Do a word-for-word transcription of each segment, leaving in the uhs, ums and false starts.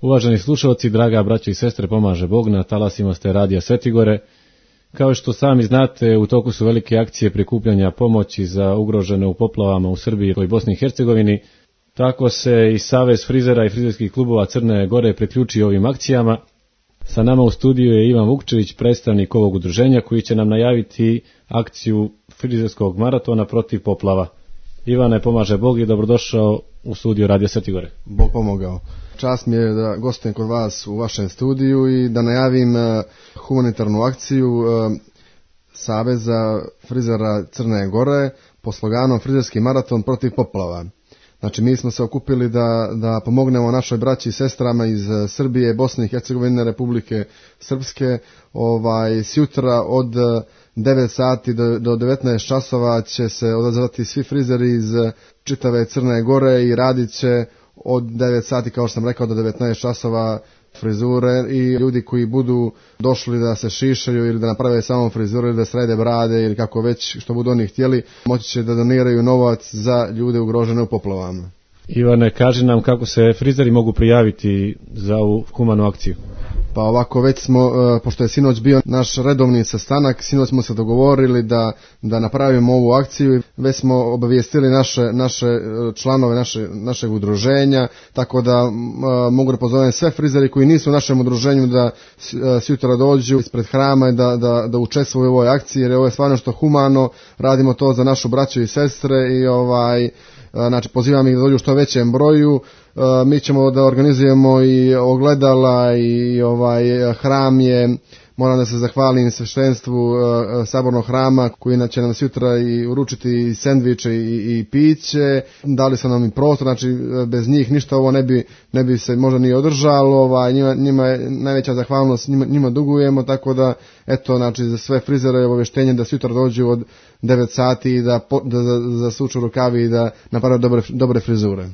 Uvaženi slušalci, draga braćo i sestre, pomaže Bog, na talasima ste Radija Svetigore. Kao što sami znate, u toku su velike akcije prikupljanja pomoći za ugrožene u poplavama u Srbiji i Bosni i Hercegovini. Tako se i Savez frizera i frizerskih klubova Crne Gore priključio ovim akcijama. Sa nama u studiju je Ivan Vukčević, predstavnik ovog udruženja, koji će nam najaviti akciju frizerskog maratona protiv poplava. Ivane, pomaže Bog i dobrodošao u studiju Radija Svetigore. Bog pomogao. Čast mi je da gostujem kod vas u vašem studiju i da najavim uh, humanitarnu akciju uh, Saveza frizera Crne Gore po sloganu Frizerski maraton protiv poplava. Znači, mi smo se okupili da, da pomognemo našoj braći i sestrama iz Srbije, Bosne i Hercegovine, Republike Srpske. Ovaj, sjutra od devet sati do, do devetnaest časova će se odazvati svi frizeri iz čitave Crne Gore i radit će od devet sati, kao što sam rekao, do devetnaest časova frizure, i ljudi koji budu došli da se šišaju ili da naprave samo frizuru ili da srede brade ili kako već što budu oni htjeli, moći će da doniraju novac za ljude ugrožene u poplavama. Ivane, kaži nam kako se frizeri mogu prijaviti za ovu humanu akciju. Pa ovako, već smo, pošto je sinoć bio naš redovni sastanak, sinoć smo se dogovorili da, da napravimo ovu akciju. Već smo obavijestili naše, naše članove naše, našeg udruženja, tako da uh, mogu da pozovem sve frizeri koji nisu u našem udruženju da uh, sutra dođu ispred hrama i da, da, da učestvuju u ovoj akciji, jer ovo je stvarno što humano, radimo to za našu braću i sestre i ovaj... Znači, pozivam ih da dođu u što većem broju. Mi ćemo da organizujemo i ogledala i ovaj hram je, moram da se zahvalim sveštenstvu sabornog hrama koji će nam sutra i uručiti i sendviče i, i piće. Dali su nam i prostor, znači bez njih ništa ovo ne bi, ne bi se možda ni održalo. Ovaj, njima, njima je najveća zahvalnost, njima, njima dugujemo, tako da eto, znači za sve frizere je obavještenje da sutra dođu od devet sati i da, da, da zasuču rukavi i da naprave dobre, dobre frizure.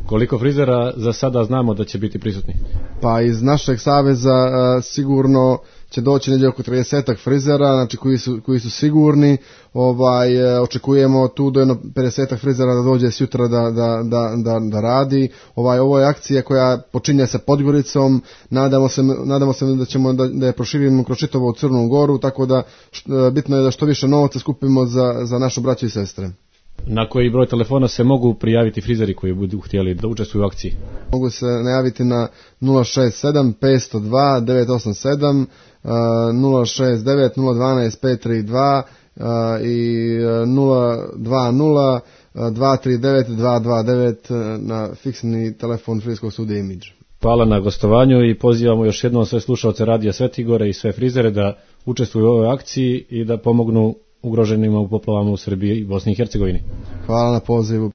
Koliko frizera za sada znamo da će biti prisutni? Pa iz našeg saveza a, sigurno će doći negdje oko tridesetak frizera, znači koji su, koji su sigurni. Ovaj, očekujemo tu do jedno pedesetak frizera da dođe sutra da, da, da, da, da radi. Ovaj, ovo je akcija koja počinje sa Podgoricom, nadamo se, nadamo se da ćemo da, da je proširimo kroz čitavu Crnu Goru, tako da št, bitno je da što više novca skupimo za, za našu braću i sestre. Na koji broj telefona se mogu prijaviti frizeri koji budu htjeli da učestvuju u akciji? Mogu se najaviti na nula šest sedam pet nula dva devet osam sedam, nula šest devet nula jedan dva pet tri dva i nula dva nula dva tri devet dva dva devet na fiksni telefon Frizerskog studija Imidž. Hvala na gostovanju i pozivamo još jednom sve slušalce Radija Svetigore i sve frizere da učestvuju u ovoj akciji i da pomognu ugroženima u poplavama u Srbiji i Bosni i Hercegovini. Hvala na pozivu.